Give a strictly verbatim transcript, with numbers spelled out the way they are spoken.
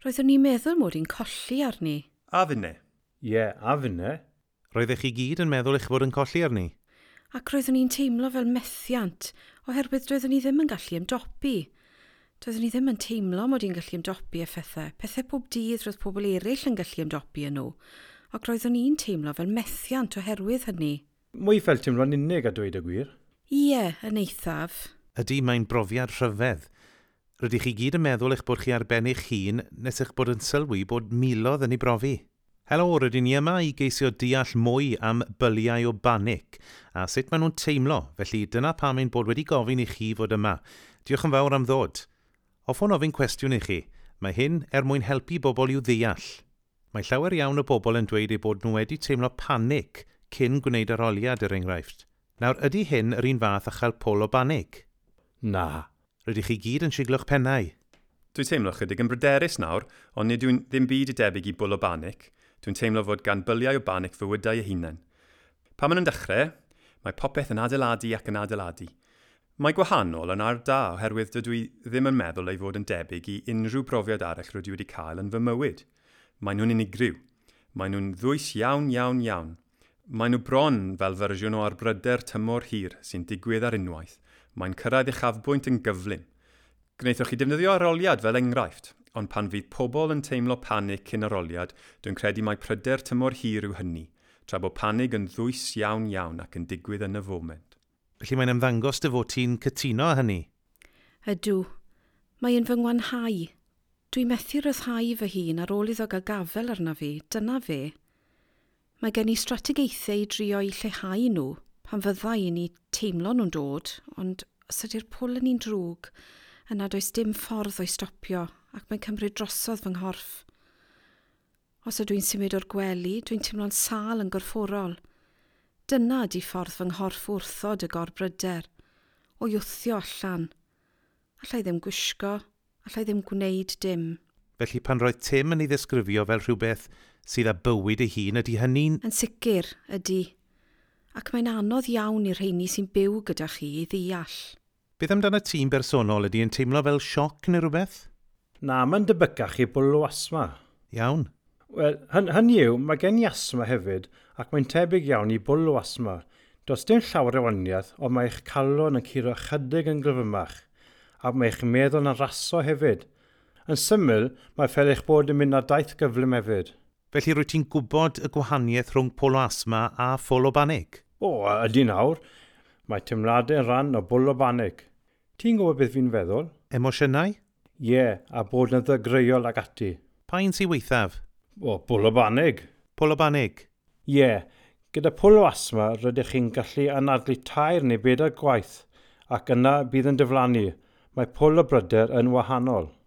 Roeddwn i'n meddwl mod i'n colli arni. A finne. Ie, yeah, a finne. Roeddech chi gyd yn meddwl eich bod yn colli arni? Ac roeddwn i'n teimlo fel methiant, oherwydd doeddwn i ddim yn gallu ymdopi. Doeddwn i ddim yn teimlo mod i'n gallu ymdopi â phethau. Pethau pob dydd roedd pobl eraill yn gallu ymdopi â nhw. Ac roeddwn i'n teimlo fel methiant oherwydd hynny. Mwy fel teimlo'n unig a dweud y gwir. Ie, yn eithaf. Ydy, mae'n brofiad rhyfedd. Rydych chi gyd yn meddwl eich bod chi ar ben eich hun nes eich bod yn sylwi bod miloedd yn ei brofi. Helo, rydyn ni yma i geisio deall mwy am byliau o banic a sut maen nhw'n teimlo, felly dyna pam ein bod wedi gofyn i chi fod yma. Diolch yn fawr am ddod. Hoffwn ofyn cwestiwn i chi. Mae hyn er mwyn helpu bobl i'w ddeall. Mae llawer iawn o bobl yn dweud eu bod nhw wedi teimlo panic cyn gwneud arholiad er enghraifft. Nawr, ydy hyn yr un fath â chael pwl o banic? Na. Rydych chi gyd yn siglo'ch pennau. Dwi'n teimlo chydig yn bryderus nawr, ond nid yw'n ddim byd i debyg i bwl o banic. Dwi'n teimlo fod gan byliau o banic fywydau eu hunain. Pan maen nhw'n dechrau, mae popeth yn adeiladu ac yn adeiladu. Mae gwahanol yn ar da oherwydd dydw i ddim yn meddwl ei fod yn debyg i unrhyw brofiad arall rydw i wedi cael yn fy mywyd. Maen nhw'n unigryw. Maen nhw'n ddwys iawn, iawn, iawn. Maen nhw bron fel fersiwn o arbryder tymor hir sy'n digwydd ar unwaith. Mae'n cyrraedd uchafbwynt yn gyflym. Gwnaethoch chi defnyddio arholiad fel enghraifft, ond pan fydd pobl yn teimlo panig cyn arholiad, dwi'n credu mai pryder tymor hir yw hynny, tra bod panig yn ddwys iawn iawn ac yn digwydd yn y foment. Felly mae'n ymddangos dy fod ti'n cytuno â hynny. Ydw. Mae yn fy ngwanhau. Dwi'n methu ryddhau fy hun ar ôl iddo gael gafel arna fi, dyna fe. Mae gen i strategaethau i drio i lleihau nhw pan fydda i'n eu teimlo nhw'n dod, ond os ydy'r pwl yn un drwg, yna does dim ffordd o'i stopio ac mae'n cymryd drosodd fy nghorff. Os ydw i'n symud o'r gwely, dwi'n teimlo'n sâl yn gorfforol. Dyna ydy ffordd fy nghorff wrthod y gorbryder, o'i wthio allan. Alla i ddim gwisgo, alla i ddim gwneud dim. Felly pan roedd Tim yn ei ddisgrifio fel rhywbeth sydd â bywyd ei hun, ydy hynny'n... Yn sicr, ydy. Ac mae'n anodd iawn i'r rheini sy'n byw gyda chi i ddeall. Beth amdano ti'n bersonol, ydy yn teimlo fel sioc neu rhywbeth? Na, mae'n debycach i bwl o asma. Iawn. Wel, hyn, hynny yw, mae gen i asma hefyd, ac mae'n tebyg iawn i bwl o asma. Does dim llawer o wahaniaeth, ond mae eich calon yn curo chydig yn gryfymach, ac mae eich meddwl yn raso hefyd. Yn syml, mae fel eich bod yn mynd ar daith gyflym hefyd. Felly rwyt ti'n gwybod y gwahaniaeth rhwng pwl o asma a phwl o banig? O, ydy nawr. Mae teimladau yn rhan o bwl o banig. Ti'n gwybod beth fi'n feddwl? Emosiynau? Ie, yeah, a bod yn ddygreuol ac ati. Pa un sy'n waethaf? O, bwl o banig. Pwl o banig? Ie, yeah, gyda pwl o asma rydych chi'n gallu anadlu tair neu bedair gwaith, ac yna bydd yn diflannu. Mae pwl o bryder yn wahanol.